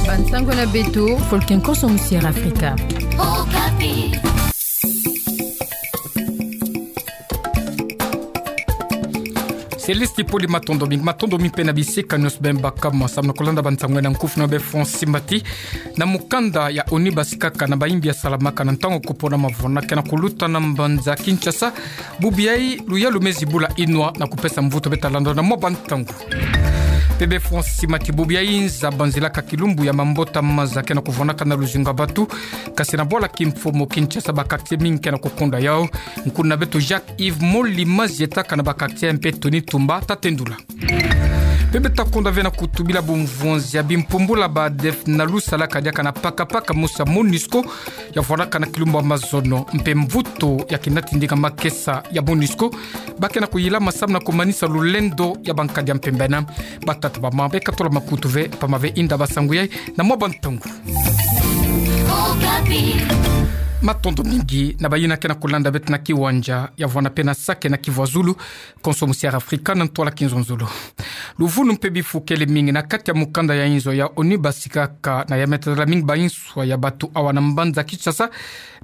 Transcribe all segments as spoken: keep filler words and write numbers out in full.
Bansango na beto, folke nkoso musiere Afrika. Okapi. Céleste Poli, matondo mingi, matondo mingi mpe na bisika nyonso beno baka ma samu na kulanda bansango na nkufi na beno. Francis Mati. Na mukanda ya ONU, basikaka na bayimbi ya salamaka na ntangu kupona mavona ke na kuluta na mbanza Kinshasa. Bubu yayi, luyalu mezi bula inwa na kupesa mvutu. Beta landa na mwa bansango. Bebe Francis Mati, bubu yayi nza banzilaka kilumbu ya mambota maza ke na kuvonaka na luzingu ya batu. Kasi na bwala kimfumu Kinshasa, ba quartier mingi ke na kukonda yau. Nkuna beto Jacques Yves Moli mazietaka na ba quartier mpe Tony Tumba ta tendula. Mpe beta konda ve na kutubila bumvonzi ya bimpumbula ba ADF na lusalaka diaka na pakapaka mosi ya MONUSCO, ya vwanaka na kilumbu ya mazono, mpe mvutu ya kinati ndinga makesa ya MONUSCO, ba ke na kuyilama samu na kumanisa lulendo ya bankadi ya mpemba. Na batata, bamama, beka tola makutu ve, pamba ve inda bansango yayi na mwa bansango. Matondo mingi na bayina ke na kulanda beto na kiwanja ya vwanda mpe na sake na kivwazulu, nkoso musiere Afrika na ntwala kinzonzolo. Luvunu mpe bifu kele mingi na kati ya mukanda ya inzo ya ONU. Basikaka na ya metatala mingi ba inswa ya batu awa na mbanza Kinshasa,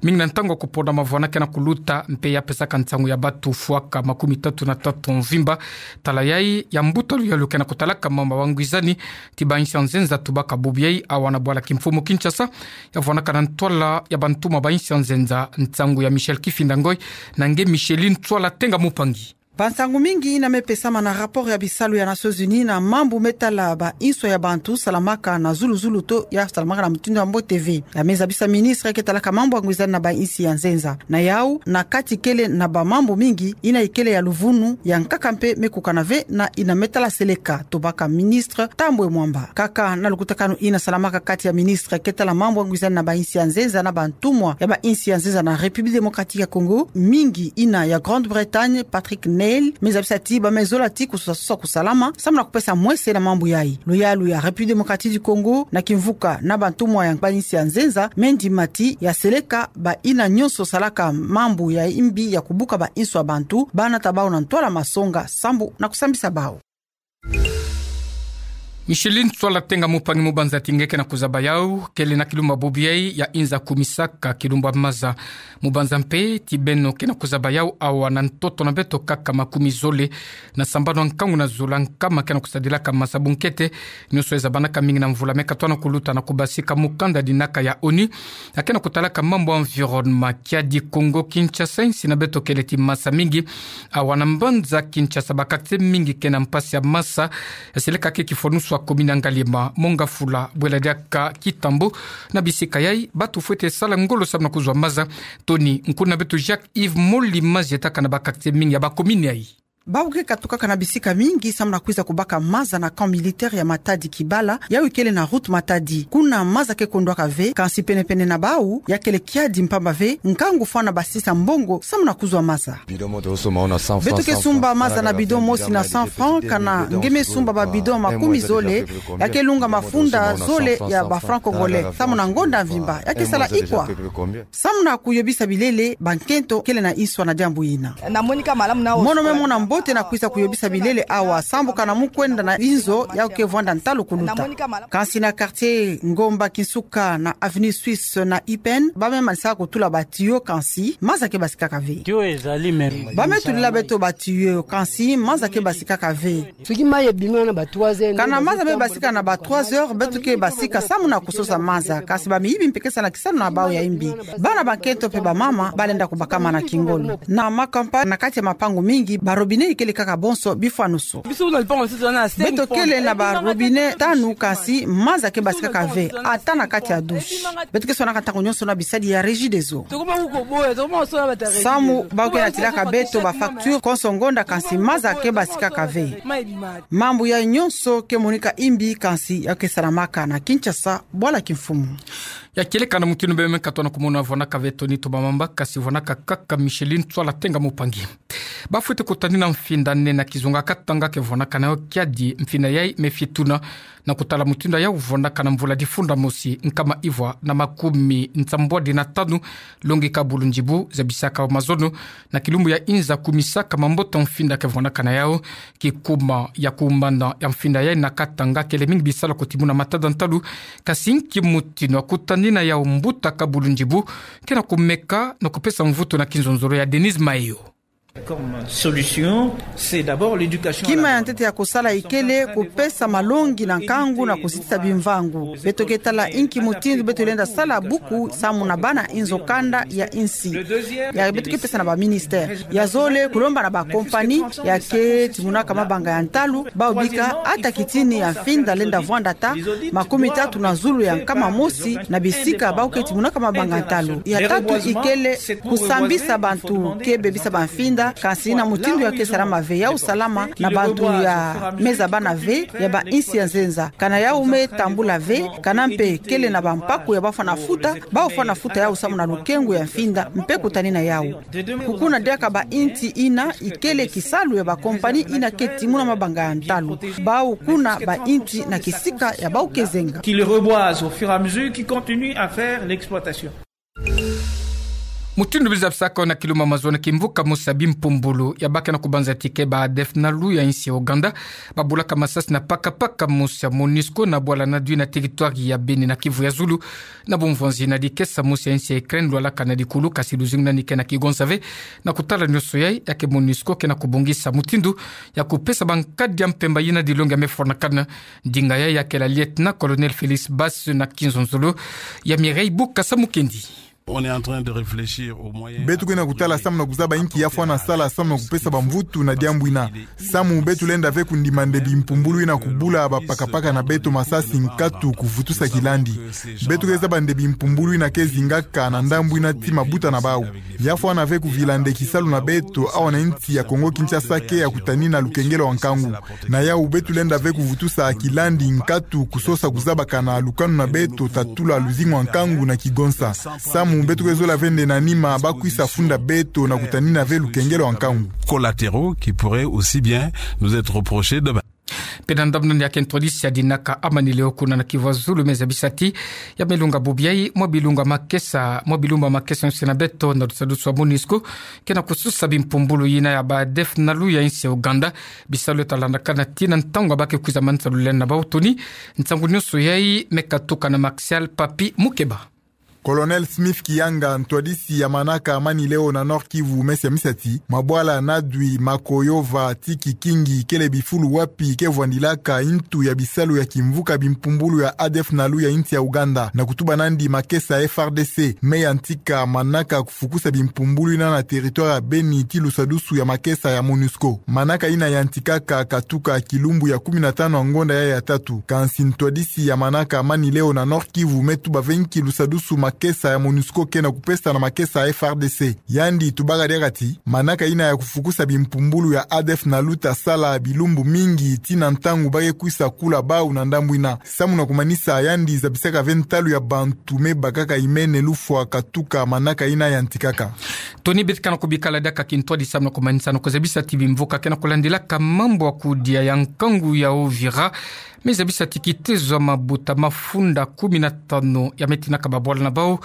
mingi na ntangu ya kupona mavona ke na kuluta, mpe ya pesaka nsangu ya batu fwaka makumi tatu na tatu mvimba. Tala yayi ya mbuta luyalu ke na kutalaka mambu ya ngwizani ti ba insi ya nzenza. Tubaka bubu yayi awa na bwala kimfumu Kinshasa, ya vwanaka na ntwala ya bantumwa ba insi ya nzenza. Nsangu ya Michel Kifinda Ngoy na nge Micheline Tswala Tenga Mupangi. Bansangu mingi ina me pesama na rapport ya bisalu ya Nations Unies na mambu me tala ba inswa ya bantu salamaka na zulu-zulu to ya salamaka na mutindu ya mbote ve. Ya me zabisa ministre ke talaka mambu ya ngwizani na ba insi ya nzenza. Na yau, na kati kele na ba mambu mingi ina ikele ya luvunu, ya nkaka mpe me kukana ve na ina me tala seleka. Tubaka ministre Tambwe Mwamba. Kaka na lukutakanu ina salamaka kati ya ministre ke tala mambu ya ngwizani na ba insi ya nzenza na bantumwa ya ba insi ya nzenza na République Démocratique ya Congo, mingi ina ya Grande-Bretagne, Patrick Neill, me zabisa ti ba me zola ti kusosa-sosa kusalama samu na kupesa mwese na mambu yayi. Luyalu ya République Démocratique du Congo na kimvuka na bantumwa ya ba insi ya nzenza me ndima ti ya seleka ba ina nyonso salaka mambu ya imbi ya kubuka ba inswa bantu, ba nata bau na ntwala masonga sambu na kusambisa bau. Micheline Tswala Tenga Mupangi, mubanza ti nge ke na kuzaba yau, kele na kilumbu ya bubu yayi ya inza kumisaka kilumbu ya maza. Mubanza mpe ti beno ke na kuzaba yau awa na ntoto na beto kaka makumi zole na sambanu ya nkangu na zola nkama ke na kusadilaka maza. Bunkete nyonso ezabanaka mingi na mvula me katwa na kuluta na kubasika mukanda dinaka ya ONU, ya ke na kutalaka mambu ya environnement. Kiadi Kongo Kinshasa, insi na beto kele ti masa mingi. Awa na mbanza Kinshasa, ba quartier mingi ke na mpasi ya masa. Ya seleka ke kifwanusu ya commune ya Ngaliema, Mont-Ngafula, Bwela Diaka, Kitambo. Na bisika yayi, batu fwete sala ngolo samu na kuzwa maza. Tony, nkuna beto Jacques Yves Moli mazietaka na ba quartier mingi ya ba commune yayi. Bau ke katukaka na bisika mingi samu na kwiza kubaka maza na camp militaire ya Matadi-Kibala, yawu ikele na route Matadi. Kuna maza ke kondwaka ve, kansi pene-pene na bau, ya kele kiadi mpamba ve, nkangu fwana basisa mbongo samu na kuzwa maza. Beto ke sumba maza na bidon mosi na cent francs, kana nge me sumba ba bidon makumi zole, ya ke lunga mafunda zole ya ba francs congolais, samu na ngonda mvimba, ya ke sala ikwa? Samu na kuyobisa bilele, bankento kele na inswa na diambu ina. Mono me mona mbote na kwiza kuyobisa bilele awa, sambu kana mu kwenda na inzo, yawu ke vwanda ntalu kuluta. Kansi na quartier Ngomba Kinsuka na avenue Suisse na I P N, ba me manisaka kutula ba tuyau, kansi maza ke basikaka ve. Ba me tulila beto ba tuyau, kansi maza ke basikaka ve. Soki mai ebimi wana ba trois heures. Kana maza me basika na ba trois heures, beto ke basika samu na kusosa maza, kansi ba miyibi mpe ke sa na kisalu na bau ya imbi. Bana bankento mpe bamama, ba lenda kubakama na kingolo. Na ma campagne, na kati ya mapangu mingi, ba robinet ikele kaka bonso bifwanusu. Beto kele na ba robinet tanu, kansi maza ke basikaka ve, ata na kati ya douche. Beto ke swanaka ntangu nyonso na bisadi ya Regideso. Samu bau ke natilaka beto ba facture konso ngonda, kansi maza ke basikaka ve. Mambu yayi nyonso ke monika imbi, kansi ya ke salamaka na Kinshasa, bwala kimfumu. Ya kieleka na mutindu beno me katona kumona, vwanaka ve Tony Tumba Mwamba, kansi vwanaka kaka Micheline Tswala Tenga Mupangi. Ba fwete kutani na mfinda nene ya kizunga katanga ke vwanaka na yo kiadi. Mfinda yayi me fie tuna Na kutala mutindu yau, vwandaka na mvula difunda mosi nkama ivwa na makumi nsambwadi na tanu, longi kabulu njibu zabisaka mazono na kilumbu ya inza kumisaka mambota mfinda ke vwandaka na yau. Kikuma ya kumbanda ya mfinda yai na katanga kele mingi bisalu ya kutimuna matada ntalu, kasi nki mutinu ya kutanina yau mbuta kabulu njibu ke na kumeka na kupesa mvutu na kinzonzolo ya Denise Mayo. Comme solution, c'est d'abord l'éducation à la... Kima ya ntete ya kusala ikele kupesa malongi na nkangu na kusitisa bimvangu. Beto ke tala inki mutindu beto lenda sala buku samu na bana inzo kanda ya insi. Ya beto ke pesa na ba ministère. Ya zole kulomba na ba compagnie ya ke timunaka mabanga ya ntalu, bau bika ata kitini ya mfinda lenda vwanda ata makumi tatu na zulu ya nkama mosi na bisika bau ke timunaka mabanga ya ntalu. Ya tatu ikele kusambisa bantu ke bebisa ba mfinda, kansi na mutindu ya ke salama ve, yau salama na bantu ya meza bana ve, ya ba insi ya nzenza. Kana yau me tambula ve, kana mpe kele na ba mpaku ya bafwana futa, bau fwana futa yau samu na lukengu ya mfinda, mpe kutanina yau. Kukuna diaka ba inti ina ikele kisalu ya ba compagnie ina ke timuna mabanga ya ntalu. Bau kuna ba inti na kisika ya bau ke zenga. Qu'ils reboisent au fur et à mesure, qu'ils continuent à faire l'exploitation. Mutindu biza bisaka na kilumbu ya mazono, kimvuka mosi ya bimpumbulu ya ba ke na kubanza ti ke ba ADF-NALU ya insi ya Ouganda babulaka masasi na pakapaka mosi ya MONUSCO na bwala NADUI na territoire ya Beni na Kivu ya Zulu. Na bumvwanzi na dikesa, mosi ya insi ya Ukraine lwalaka na dikulu, kasi luzingu na ni ke na kigonsa ve. Na kutala nioso yai, ya ke MONUSCO ke na kubongisa mutindu ya kupesa ba nkadi ya mpemba ina dilongi ya me fwanakana. Ndinga yai ya ke la lieutenant-colonel Félix Basse na kinzonzolo ya Mireille Bukasa Mukendi. On est en train de réfléchir aux moyens... Beto ke na kutala samu na kuzaba inki ya fwana sala samu na kupesa bamvutu na diambu ina. Samu beto lenda ve kundima nde bimpumbulu ina kubula bapakapaka na beto masasi nkatu kuvutusa kilandi. Beto ke zaba nde bimpumbulu ina ke zingaka na ndambu ina ti mabuta na bau. Ya fwana ve kuvila nde kisalu na beto awa na insi ya Kongo-Kinshasa ke ya kutanina lukengelo wa nkangu. Na yau beto lenda ve kuvutusa kilandi nkatu kusosa kuzabakana lukanu na beto ta tula luzingu wa nkangu na kigonsa. Samu beto ke zola ve nde na nima bakwisa funda beto na kutanina ve lukengelo wa nkangu. Collatéraux qui pourraient aussi bien nous être reprochés demain. Mpe na ndambu nani ya ke ntwadisi ya dinaka Amani Leo kuna na Kivu ya Zulu me zabisa ti ya me lunga bubu yai, mwa bilunga makesa, mwa bilumbu makesa yonso na beto na lusadusu wa MONUSCO ke na kususa bimpumbulu ina ya ba ADF-NALU ya insi ya Ouganda. Bisalu eta landakana tii na ntangu ya ba ke kwiza manisa lulendo na bau. Toni, nsangu nioso yai me katuka na Martial Papi Mukeba. Colonel Smith Kiyanga, ntwadisi ya manaka Amani Leo na Nord-Kivu, me siamisa ti mabwala NADUI, Makoyova ti Kikingi kele bifulu wapi ke vwandilaka intu ya bisalu ya kimvuka bimpumbulu ya ADF-NALU ya insi ya Ouganda, na kutuba nandi makesa ya F R D C me yantika manaka kufukusa bimpumbulu ina na territoire ya Beni ti lusadusu ya makesa ya MONUSCO. Manaka ina yantikaka katuka kilumbu ya kumi na tanu ya ngonda yai ya tatu. Kansi ntwadisi ya manaka Amani Leo na Nord-Kivu me tuba ve nki lusadusu makesa ya MONUSCO ke na kupesa na makesa ya F R D C. Yandi tubaka diaka ti manaka ina ya kufukusa bimpumbulu ya ADF-NALU ta sala bilumbu mingi tii na ntangu ba ke kwisa kula bau na ndambu ina. Samu na kumanisa, yandi zabisaka ve ntalu ya bantu me bakaka imene lufwa katuka manaka ina yantikaka. Toni, beto ke na kubikala diaka kintwadi samu na kumanisa na kuzabisa ti bimvuka ke na kulandilaka mambu ya kudia ya nkangu ya Uvira me zabisa ti kitezo ya mabuta mafunda kumi na tanu ya me tinaka babwala na bau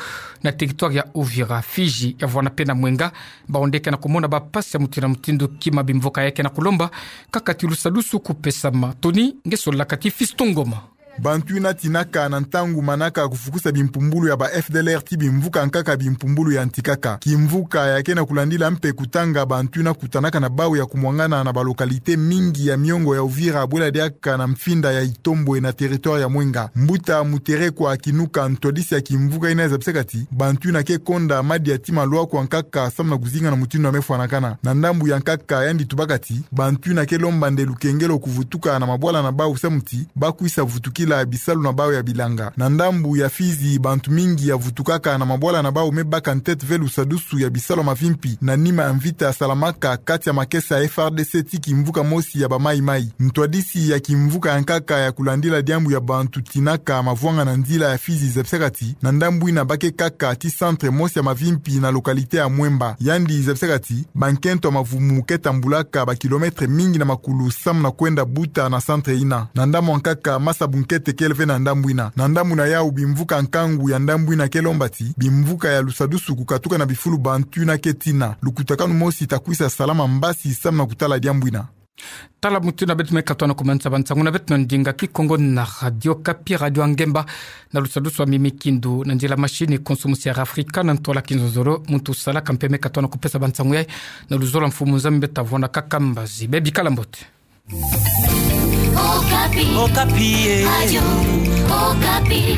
na territoire ya Uvira, Fizi ya vwana mpe na Mwenga, bau nde ke na kumona bampasi ya mutindu na mutindu. Kima bimvuka yai ke na kulomba kaka ti lusadusu kupesama. Toni, nge solaka ti Fiston Ngoma. Bantu ina tinaka na ntangu manaka kufukusa bimpumbulu ya ba F D L R ti bimvuka nkaka bimpumbulu yantikaka. Kimvuka ya ke na kulandila mpe kutanga bantu ina kutanaka na bau ya kumwangana na ba localité mingi ya miongo ya Uvira bwela diaka na mfinda ya Itombwe na territoire ya Mwenga. Mbuta Muterekwa Kinuka, ntwadisi ya kimvuka ina, zabisaka ti bantu ina ke konda madia ti malwakwa nkaka samu na kuzinga na mutindu ya me fwanakana. Na ndambu yankaka, yandi tubaka ti bantu ina ke lomba nde lukengelo kuvutuka na mabwala na bau samu ti ba kwisa vutukila ya bisalu na bau ya bilanga. Na ndambu ya Fizi, bantu mingi ya vutukaka na mabwala na bau me baka ntete ve lusadusu ya bisalu ya mavimpi, na nima ya mvita ya salamaka kati ya makesa ya F R D C ti kimvuka mosi ya ba Maï-Maï. Ntwadisi ya kimvuka ya nkaka ya kulandila diambu ya bantu tinaka mavwanga na nzila ya Fizi zebisaka ti, na ndambu ina ba ke kaka ti centre mosi ya mavimpi na localité ya Mwemba. Yandi zebisaka ti, bankento ya mavumu ke tambulaka ba kilomètre mingi na makulu samu na kwenda buta na centre ina. Na ndambu ya nkaka, masa bunkete kele ve na ndambu ina. Na ndambu na yau, bimvuka nkangu ya ndambu ina ke lomba ti, bimvuka ya lusadusu kukatuka na bifulu bantu yina ke tina. Lukutakanu mosi ta kwisa salama mbasi samu na kutala diambu ina. Tala mutu yina beto me katoa na kumanisa bansangu na beto na ndinga Kikongo na Radio Okapi, Radio Ngemba, na lusadusu wa mimi kindu na nzila machine Konso Musi ya Afrika na ntwala kinzonzolo. Muntu salaka mpe me katoa na kupesa bansangu yayi, na luzolo mfumu Nzambi ta vwanda kaka mbazi. Bebikala mbote. Okapi. Okapi, eh. Radio Okapi.